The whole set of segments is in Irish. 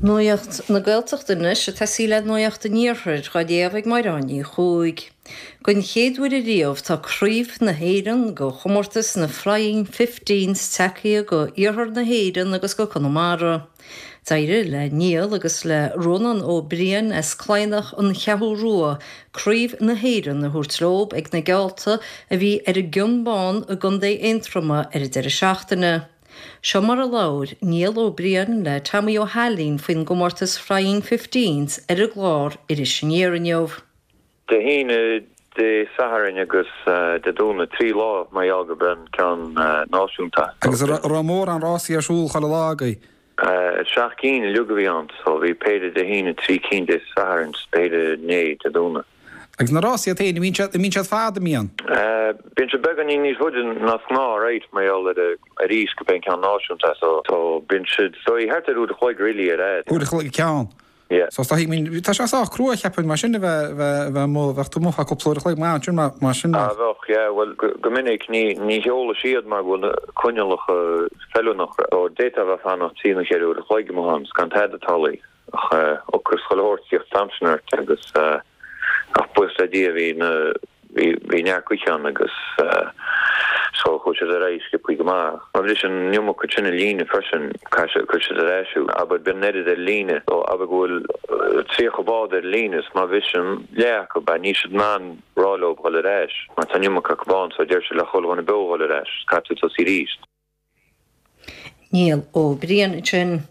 Nuacht na Gaeltachta anois, ag tosaí le Nuacht an Iarthair, á léamh ag Mairéad Ní Chuaig. Don chéad uair ariamh tá Craobh na hÉireann go chomórtas na Flying Fifteens tagtha go Iarthar na hÉireann agus go Conamara. D'éirigh le Niall agus le Rónán Ó Briain as Cladhnach An Cheathrú Rua Craobh na hÉireann a thabhairt leob ag na geallta a bhí ar an gCionn Bán i gContae Aontroma ar an deireadh seachtaine. Seo mar a labhair Niall Ó Briain le Tommy Ó hAilín faoin gcomórtas Flying Fifteens ar an gclár Iris Aniar inniu. Dé hAoine, Dé Sathairn agus Dé Domhnaigh, 3 lá mar gheall gurb é an ceann náisiúnta. Agus an raibh mórán rásaí ar siúl chuile lá agaibh? 7 gcinn uilig a bhí ann, so bhí péire Dé hAoine, 3 cinn Dé Sathairn 's péire inné, Dé Domhnaigh. Agus na rásaí iad féin, an mbíonn siad, an mbíonn siad fada, an mbíonn? Bíonn siad beagáinín níos faide ná is gnáth, right, mar gheall ar arís gurb é an ceann náisiúnta é, so, so bíonn siad, so thart ar uair a chloig really ar fhad. Uair a chloig an ceann? Yeah. So is dóigh, I mean, tá sé sách crua, cheapfainn, mar sin a bheith, bheith, bheith amuigh, bheadh tú amuigh feadh cúpla uair a chloig maith ansin mar, mar sin. Ah, bheadh, yeah, bhuel, go, go minic ní, ní sheolfaidh siad mar go bhfuil na coinníollacha feiliúnach, so d'fhéadfá a bheith ag fanacht trí nó cheithre uair a chloig amuigh ann, 's gan tada tarlaithe. Ach ocras chuile shórt ag tíocht an t-am sin ort agus ach buíochas le Dia bhí na bhí bhí neart gaoithe ann agus so chuaigh siad ar aghaidh sciobthaí go maith. Má bhriseann an iomarca sin an líne freisin caithfidh siad cuirfidh siad ar ais thú. Abair bíonn an oiread ar líne so abair go bhfuil 30 bád ar líne is má bhriseann leath acu níl siad in ann rá leo dhul ar ais mar tá an iomarca acu ann so deir siad le chuile dhuine beo dhul ar ais is caithfidh tú tosaí arís. Niall Ó Briain ansin.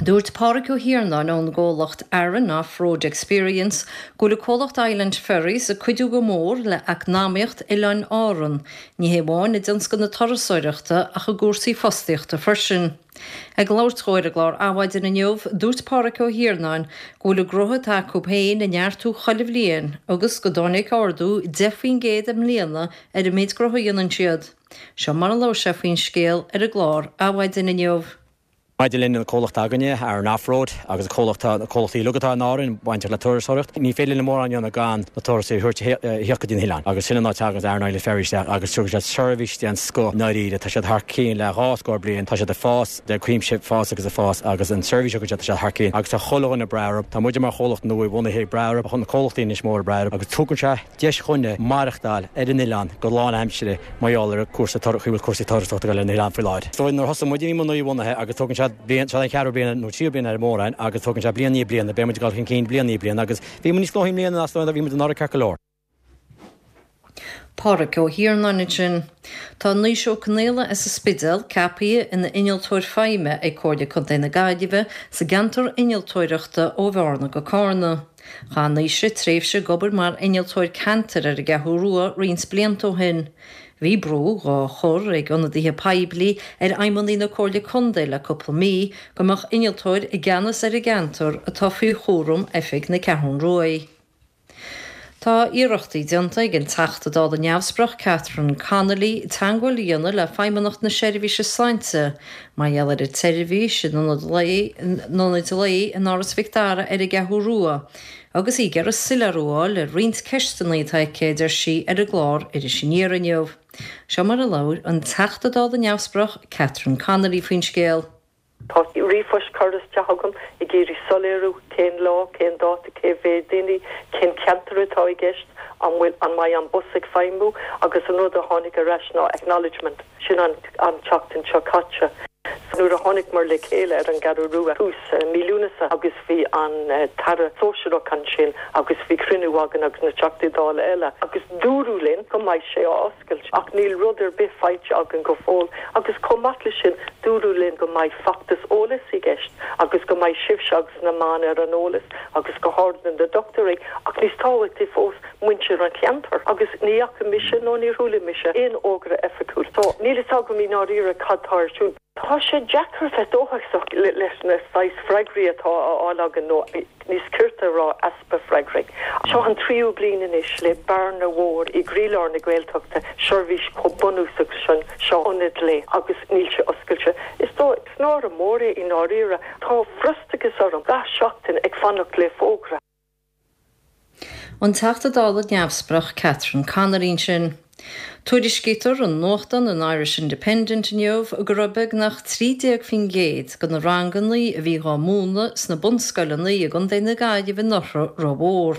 Dúirt Pádhraic Ó hIarnáin ón gcomhlacht Aran Off Road Experience go bhfuil a comhlacht Island Ferries ag cuidiú go mór le eacnamaíocht Oileáin Árann, ní hé amháin i dtionscal na turasóireachta ach i gcúrsaí fostaíochta freisin. Ag labhairt dhó ar an gclár Adhmhaidin inniu, dúirt Pádhraic Ó hIarnáin go bhfuil an gnótha atá acu féin ag neartú chuile bhliain agus go dtáinig ardú 10% i mbliana ar an méid gnótha a dhéanann siad. Seo mar a labhair sé faoin scéal ar an gclár Adhmhaidin inniu. Maidir linn, an comhlacht againne, Aran Off-Road, agus an comhlacht, na comhlachtaí uilig atá in Árainn bainteach le turasóireacht, ní féidir linn mórán a dhéanamh gan na turasóirí a thabhairt a thíocht go dtí na hoileáin. Agus sin an áit a dtagann Aran Island Ferries isteach agus tugann siad seirbhís den scoth i ndáiríre. Tá siad thar cionn le dhá scór bliain, tá siad ag fás de cuimse, fás agus ag fás agus an seirbhís a thugann siad, tá siad thar cionn agus tá chuile dhuine breá orthu. Tá muide mar chomhlacht nua bhunaithe ag breá orthu, na comhlachtaí anois móra breá orthu agus tugann sé deis dhúinne maireachtáil ar an oileán go lánaimseartha mar gheall ar cúrsa chaoi a bhfuil cúrsaí turasóireachta ag dul ar an oileán faoi láthair. Is dóigh nuair a thosaigh muid bhí muid nua-bhunaithe agus tógann sé bliain, seo an cheathrú bliain nó tríú bliain ar mórán agus tógann sé bliain i ndiaidh bliana, beidh muid ag dul chun cinn bliain i ndiaidh bliana agus bhí muid níos gnóthaí i mbliana ná is dóigh bhí muid anuraidh ceart go leor. Pádhraic Ó hIarnáin ansin. Tá Naoise Ó Conaola as an Spidéal ceaptha ina Innealtóir Feidhme ag Comhairle Contae na Gaillimhe sa gceantar innealtóireachta ó Bhearna go Cárna. Chaith Naoise tréimhse ag obair mar innealtóir ceantair ar an gCeathrú Rua roinnt blianta ó shin. Bhí brú dhá chur ag ionadaithe poiblí ar fheidhmeannaigh na Comhairle Contae le cúpla mí go mbeadh innealtóir i gceannas ar an gceantar atá faoi chúram Oifig na Ceathrún Ruaidh. Tá iarrachtaí déanta ag an Teachta Dála neamhspleách Catherine Connolly teagmháil a dhéanamh le Feidhmeannacht na Seirbhíse Sláinte mar gheall ar an tseirbhís in ionad lae in ionaid lae in Áras Mhic Dara ar an gCeathrú Rua agus í ag iarraidh soiléiriú a fháil ar roinnt ceisteanna atá aici, a deir sí ar an gclár Iris Aniar inniu. Seo mar a labhair an Teachta Dála neamhspleách Catherine Connolly faoin scéal. Tá ríomhphoist curtha isteach agam ag iarraidh soiléiriú cén lá, cén dáta, cé mhéad daoine, cén ceantar atá i gceist, an bhfuil, an mbeidh an bus ag feidhmiú agus an rud a tháinig ar ais ná acknowledgement. Sin an an tseachtain seo caite. Nuair a tháinig-mar le chéile ar an gCeathrú Rua tús mí Lúnasa agus bhí an tAire Sóisearach ansin agus bhí cruinniú againn agus na Teachtaí Dála eile agus dúradh linn go mbeidh sé á oscailt, ach níl rud ar bith faighte againn go fóill agus chomh maith leis sin dúradh linn go mbeidh feachtas eolais i gceist agus go mbeidh sibhse agus na meáin ar an eolas agus go háirithe na dochtúirí ach níos tábhachtaí fós muintir an cheantair agus ní fhaca mise nó níor chuala mise aon fhógra oifigiúil so níl fhios agam i ndáiríre cad tá ar siúl. Tá sé deacair bheith dóchasach leis na saghas freagraí atá á fháil againn nó níos cirte a rá easpa freagraí. Seo an tríú bliain anois le bearna mhór i gcroílár na Gaeltachta, seirbhís chomh bunúsach sin, seo ionad lae agus níl sé oscailte. Is dóigh, is náire mór é i ndáiríre. Tá frustrachas orm gach seachtain ag fanacht le fógra. An Teachta Dála neamhspleách Catherine Connolly ansin. Tuairiscítear i nuachtán an Irish Independent inniu go raibh beagnach 13% de na ranganna a bhí dhá múineadh sna bunscoileanna i gContae na Gaillimhe anuraidh rómhór.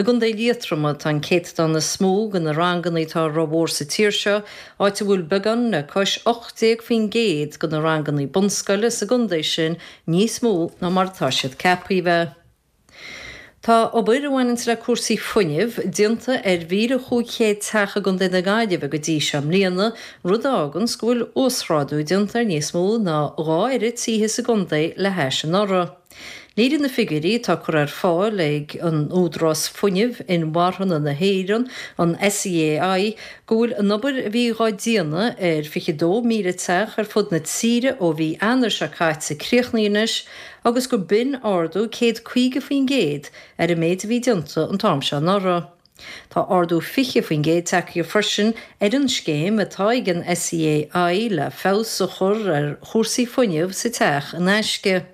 I gContae Liatroma atá an céatadán is mó de na ranganna atá rómhór sa tír seo, áit a bhfuil beagán le cois 18% de na ranganna bunscoile sa gcontae sin níos mó ná mar atá siad ceaptha a bheith. Tá obair a bhaineanns le cúrsaí fuinnimh déanta ar 1,500 teach i gContae na Gaillimhe go dtí seo i mbliana, rud a fháganns go bhfuil uasghrádú déanta ar níos mó ná 2 oiread tithe sa gcontae le hais anuraidh. Léirigh na figiúirí atá curtha ar fáil ag an Údarás Fuinnimh Inmharthana na hÉireann, an SEAI, go bhfuil an obair a bhí dhá déanamh ar 22,000 teach ar fud na tíre ó mhí Eanáir seo caite críochnaithe anois, agus gur b'in ardú 150% ar an méid a bhí déanta an t-am seo anuraidh. Tá ardú 20% tagtha freisin ar an scéim atá ag an SEAI le feabhas a chur ar chúrsaí fuinnimh sa teach in aisce.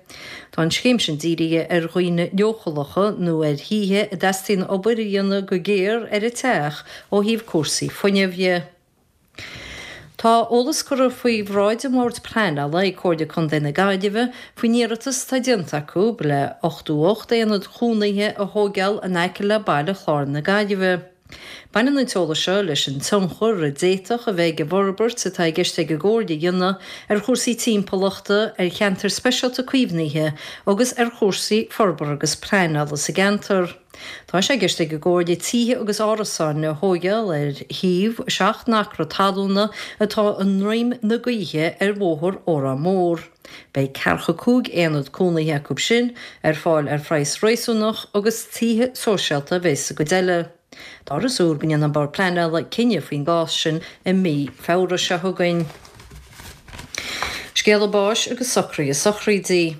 Tá an scéim sin dírithe ar dhaoine leochaileacha nó ar thithe a dteastaíonn obair a dhéanamh go géar ar an teach ó thaobh cúrsaí fuinnimh dhe. Tá eolas curtha faoi bhráid an Bhoird Pleanála ag Comhairle Contae na Gaillimhe faoin iarratas atá déanta acu le 88 aonad chónaithe a thóigeáil in aice le Baile Chláir na Gaillimhe. Baineann an t-eolas seo leis an tionchar a d'fhéadfadh a bheith ag an bhforbairt atá i gceist ag an gComhairle a dhéanamh ar chúrsaí timpeallachta, ar cheantair speisialta caomhnaithe agus ar chúrsaí forbartha agus pleanála sa gceantar. Tá sé i gceist ag an gComhairle tithe agus árasáin a thóigeáil ar shuíomh 7 n-acra talúna atá i ndroim na gaoithe ar Bhóthar Órán Mór. Beidh ceathracha 5 aonad cónaithe acu sin ar fáil ar phraghas réasúnach agus tithe sóisialta a bheas sa gcuid eile. Táthar ag súil go ndéanfaidh an Bord Pleanála cinneadh faoin gcás sin i mí Feabhra seo chugainn. Scéala báis agus socruithe sochraide.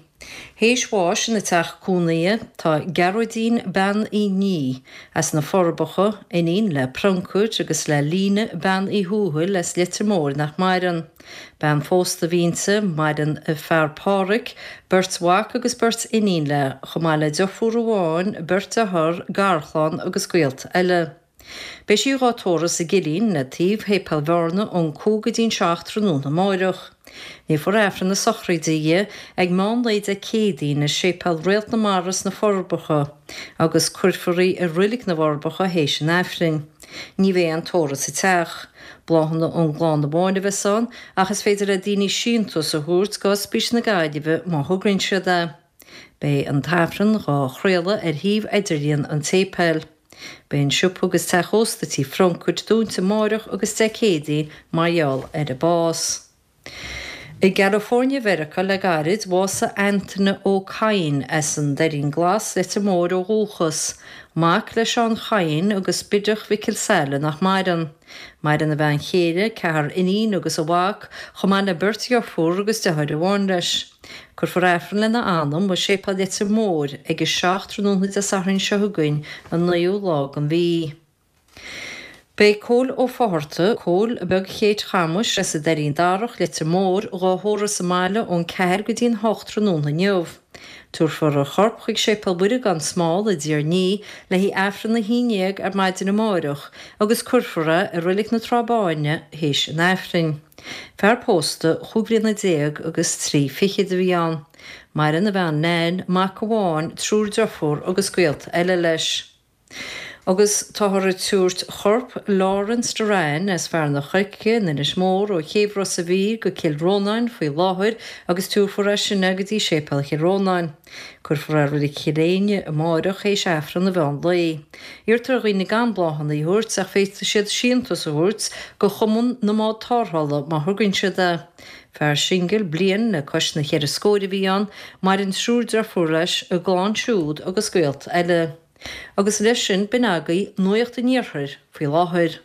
Théis bháis ina teach cónaithe tá Gearóidín Bean Uí Ní as na Forbacha, iníon le Prioncair agus le Líne Bean Uí Thuathail as Leitir Móir nach maireann. Bean phósta a bhí inti, maireann a fear Pádhraic, beirt mhac agus beirt iníon léi, chomh maith le deirfiúr amháin, beirt dearthár, garchlann agus gaolta eile. Beidh sí dhá tórramh sa gCillín le taobh Shéipéal Bhearna ón 5 go dtí'n 7 tráthnóna amáireach. Léifear Aifreann na sochraide di ag meán lae Dé Céadaoin i Séipéal Réalt na Mara sna Forbacha agus cuirfear í i Roilig na bhForbacha théis an Aifrinn. Ní bheidh aon tórramh sa teach. Bláthanna ón gclann amháin a bheas ann ach is féidir le daoine síntiús a thabhairt go Ospís na Gaillimhe má thograíonn siad é. Beidh an tAifreann dhá chraoladh ar shuíomh idirlíon an tséipéil. Beidh an siopa agus teach ósta Tí Phrioncaid dúnta amáireach agus Dé Céadaoin mar gheall ar an bás. I gCalifornia Mheiriceá le gairid, bhásaigh Antaine Ó Cadhain as an Doirín Glas, Leitir Móir ó dhúchas. Mac le Seán Chadhain agus Biddeach Mhicil Saile nach maireann. Maireann a bhean chéile, ceathrar iníon agus a mhac, chomh maith le beirt dheirfiúr agus deartháir amháin leis. Cuirfear Aifreann lena anam i Séipéal Leitir Móir ag a 7 tráthnóna Dé Sathairn seo chugainn, an 9ú lá den mhí. Beidh Cóil Ó Fátharta, Cóil Beag Chéit Chamais as an Doirín Darach, Leitir Móir, dhá thórramh sa mbaile ón 4 go dtí'n 8 tráthnóna inniu. Tabharfar a chorp chuig Séipéal Mhuire gan Smál i dTír an Fhia le haghaidh Aifreann 11 ar maidin amáireach agus cuirfear é i Reilig na Trá Báine théis an Aifrinn. Fear pósta chúig bhliana déag agus trí fichid a bhí ann. Maireann a bhean Nan, mac amháin, triúr deirfiúr agus gaolta eile leis. Agus táthar ag tabhairt chorp Laurence Doran as Fearann an Choirce in Inis Mór ó chéibh Ros a' Mhíl go Cill Rónáin faoi láthair agus tabharfar as sin é go dtí Séipéal Chill Rónáin. Cuirfear é i Reilig Chill Éinne amáireach théis Aifreann an mheán lae. Iarrtar ar dhaoine gan bláthanna a thabhairt ach féadfaidh siad síntiús a thabhairt go Chumann na mBád Tarrthála má thograíonn siad é. Fear singil bliain le cois na cheithre scóir a bhí ann, maireann triúr deirfiúr leis, a gclann siúd agus gaolta eile. Agus leis sin, b'in agaibh Nuacht an Iarthair faoi láthair.